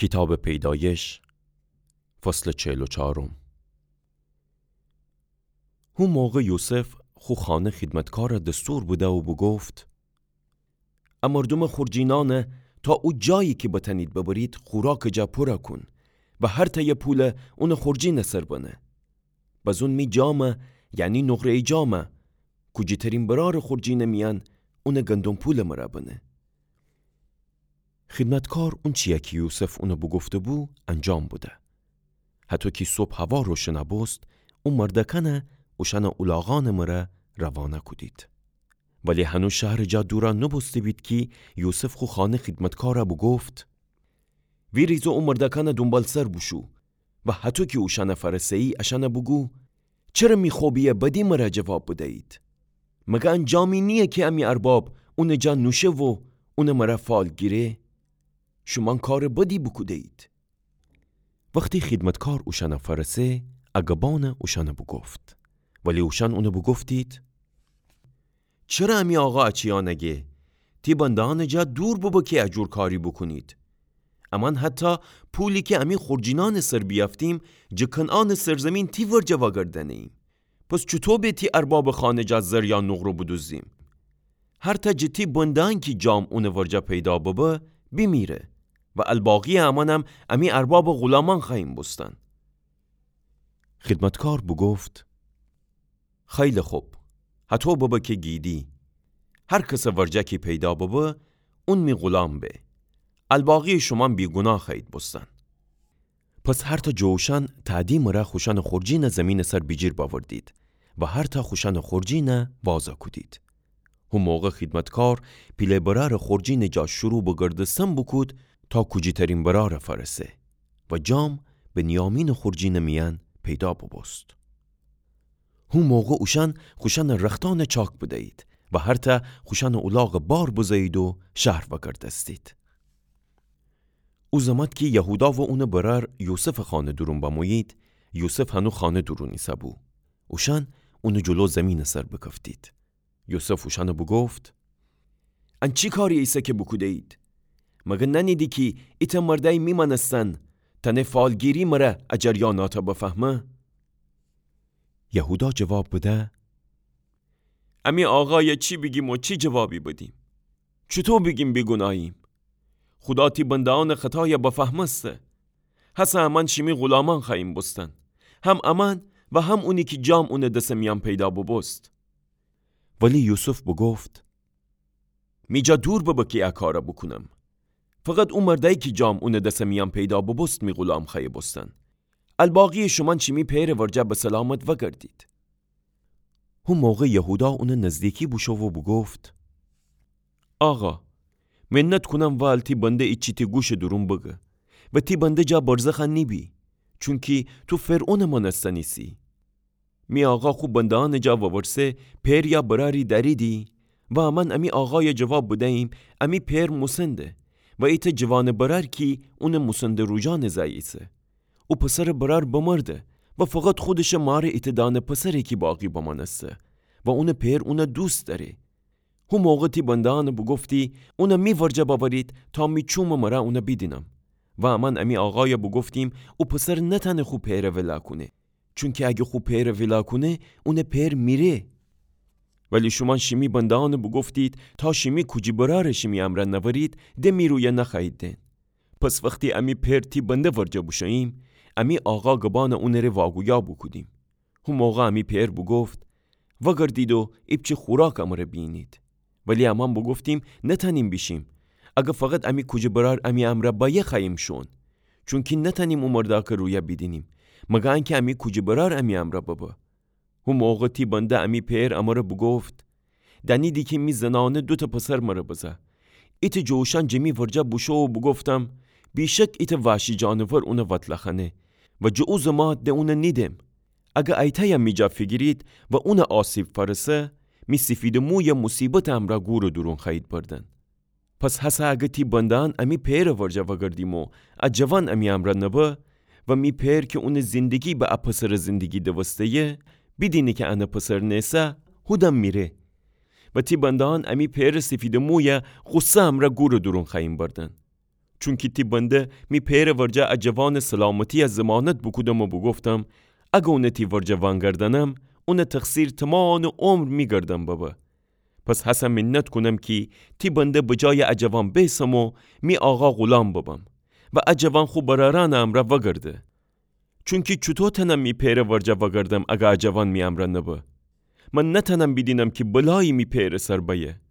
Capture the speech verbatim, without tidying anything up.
کیتابٚ پیدایش، فصلٚ چهل و چهارم. هو موقع یوسف خو خانه خیدمتکارَ دستور بده و بوگفت: ا مردومٚ خورجینأنَ تا او جایی کی بتأنید ببرید، خوراکٚ جا پورَ کون و هر تأیه پولَ اونٚ خورجینٚ سر بنه. بزون می جامَ، یعنی نقره‌یٚ جامَ، کوجی‌ترین برارٚ خورجینٚ میأن اونٚ گندم پولٚ مرأ بنه. خیدمتکار اونچی‌یَ کی یوسف اونَ بوگفته‌بو انجام بده. هطو کی صبح هوا روشنَ بوست، او مردأکأنَ اوشأنٚ اولاغأنٚ مرأ روانه کودید. ولی هنو شهرٚ جا دورَ نوبوسته‌بید کی یوسف خو خانه خیدمتکارَ بوگفت: ویریز و او مردأکأنٚ دونبالسر بوشو و هطو کی اوشأنَ فأرسه‌یی اشأنَ بوگو: چره می خوبی‌یٚ بدی مرأ جواب بدیید؟ مگر ان جامی نییه کی امی ارباب اونٚ جا نوشه و اونٚ مرأ فال گیره؟ شومأن کارٚ بدی بوکوده‌یید. وختی خیدمتکار اوشأنَ فأرسه، ا گبأنَ اوشأنَ بوگفت. ولی اوشأن اونَ بوگفتید: چره امی آقا ا چیأنَ گه؟ تی بنده‌یأنٚ جا دور ببه کی ا جور کاری بوکونید. امأن حتی پولی کی امی خورجینأنٚ سر بیأفتیم، جٚه کنعانٚ سرزیمین تی ورجه وأگردأنه‌ییم. پس چوطو به تی اربابٚ خانه جا زر یا نقره بودوزیم؟ هر تأ جٚه تی بنده‌یأن کی جام اونٚ ورجه پیدا ببه، بیمیره و الباقی‌یٚ امأنم امی اربابٚ غولامأن خوأییم بوستن. خیدمتکار بوگفت: خیلی خب، هطو ببه کی گیدی. هر کسٚ ورجه کی پیدا ببه، اون می غولام به. الباقی‌یٚ شومأن بیگوناه خوأیید بوستن. پس هر تأ جٚه اوشأن تأدی مرأ خوشأنٚ خورجینَ زیمینٚ سر بیجیر بأوردید و هر تأ خوشأنٚ خورجینَ وازَ کودید. هو موقع خیدمتکار پیله برأرٚ خورجینٚ جا شروع به گردستن بوکود تا کوجی‌ترین برأرَ فأرسه و جام بنیامینٚ خورجینٚ میأن پیدا بوبوست. هو موقع اوشأن خوشأنٚ رختأنَ چاک بدیید و هر تأ خوشأنٚ اولاغَ بار بزه‌یید و شهر وأگردستید. او زمات کی یهودا و اونٚ برأر یوسفٚ خانه دورون بمویید، یوسف هنو خانه دورون ایسه‌بو. اوشأن اونٚ جلو زیمینٚ سر بکفتید. یوسف اوشأنَ بوگفت: ان چی کاری ایسه کی بوکوده‌یید؟ مگر نأنیدی کی ایتأ مردأی می مأنستن تأنه فالگیری مرأ ا جریاناتَ بفهمه؟ یهودا جواب بده: امی آقایَ چی بیگیم و چی جوابی بدیم؟ چوطو بیگیم بیگوناهیم؟ خودا تی بنده‌یأنٚ خطایَ بفهمسته. هسه امأن شیمی غولامأن خوأییم بوستن، هم امأن و هم اونی کی جام اونٚ دسٚ میأن پیدا بوبوست. ولی یوسف بوگفت: می جا دور ببه کی ا کارَ بوکونم. فقط او مردأیی کی جام اونٚ دسٚ میأن پیدا بوبوست می غولام خوأیه بوستن. الباقی‌یٚ شومأن شیمی پئرٚ ورجه به سلامت وأگردید. هو موقع یهودا اونٚ نزدیکی بوشو و بوگفت: آقا، منت کونم وال تی بنده ایچی تی گوشٚ دورون بگه و تی بنده جا برزخَ نیبی، چونکی تو فرعونٚ مأنستن ایسی. می آقا خو بنده‌یأنٚ جا وورسه پئر یا برأری دأریدی؟ و امأن امی آقایَ جواب بده‌ییم امی پئر موسنده و ایتأ جوانٚ برأر کی اونٚ موسنده روجانٚ زأی ایسه. او پسرٚ برأر بمرده و فقط خودشٚ مارٚ ایتأ دانه پسره کی باقی بمأنسته و اونٚ پئر اونَ دوست دأره. هو موقع تی بنده‌یأنَ بوگفتی اونَ می ورجه بأورید تا می چومٚ مرأ اونَ بیدینم. و امأن امی آقایَ بوگفتیم او پسر نتأنه خو پئرَ ویلا کونه، چونکی اگه خو پئرَ ویلا کونه، اونٚ پئر میره. ولی شومأن شیمی بنده‌یأنَ بوگفتید تا شیمی کوجی برأرَ شیمی امرأ نأورید، د می رویَ نخوأیید دئن. پس وختی امی پئر تی بنده ورجه بوشوییم، امی آقا گبأنَ اونٚره واگویا بوکودیم. هو موقع امی پئر بوگفت: وأگردید و ایپچه خوراک امرَ بیینید. ولی امأن بوگفتیم نتأنیم بیشیم، اگه فقط امی کوجی برأر امی امرأ بأیه خوأییم شوئون، چونکی نتأنیم او مردأکٚ رویَ بیدینیم، مگر انکی امی کوجی برأر امی امرأ ببه. هو موقع تی بنده امی پئر امرَ بوگفت: دأنیدی کی می زنأنه دوتأ پسر مرَ بزه. ایتأ جٚه اوشأن جٚه می ورجه بوشو و بوگفتم: بیشک ایتأ وحشی جانور اونَ وتله خوأنه و جٚه او زمات د اونَ نیدم. اگه ایتأیَ می جا فیگیرید و اونَ آسیب فأرسه، می سیفیدٚ مویَ موصیبتٚ امرأ گورٚ دورون خوأیید بردن. پس هسه اگه تی بنده‌یأن امی پئرٚ ورجه وأگردیم و ا جوان امی امرأ نبه و می پئر کی اونٚ زندگی به ا پسرٚ زندگی دوسته‌یه، بیدینه کی انٚ پسر نیسه، هودن میره. و تی بنده‌یأن امی پئرٚ سیفیدٚ مویَ غصه امرأ گورٚ دورون خوأییم بردن. چونکی تی بنده می پئرٚ ورجه ا جوانٚ سلامتیَ ضمانت بوکودم و بوگفتم، اگر اونَ تی ورجه وانگردانم، اونٚ تقصیر تومانٚ عمر می گردن ببه. پس هسه منت کونم کی تی بنده بجایٚ ا جوان بیسم و می آقا غلام ببم و ا جوان خو برأرأنٚ امرأ وگرده. چونکی چوطو تأنم می پئرٚ ورجه وگردم اگر ا جوان می امرأ نبه؟ من نتأنم بیدینم کی بلایی می پئرٚ سر بأیه.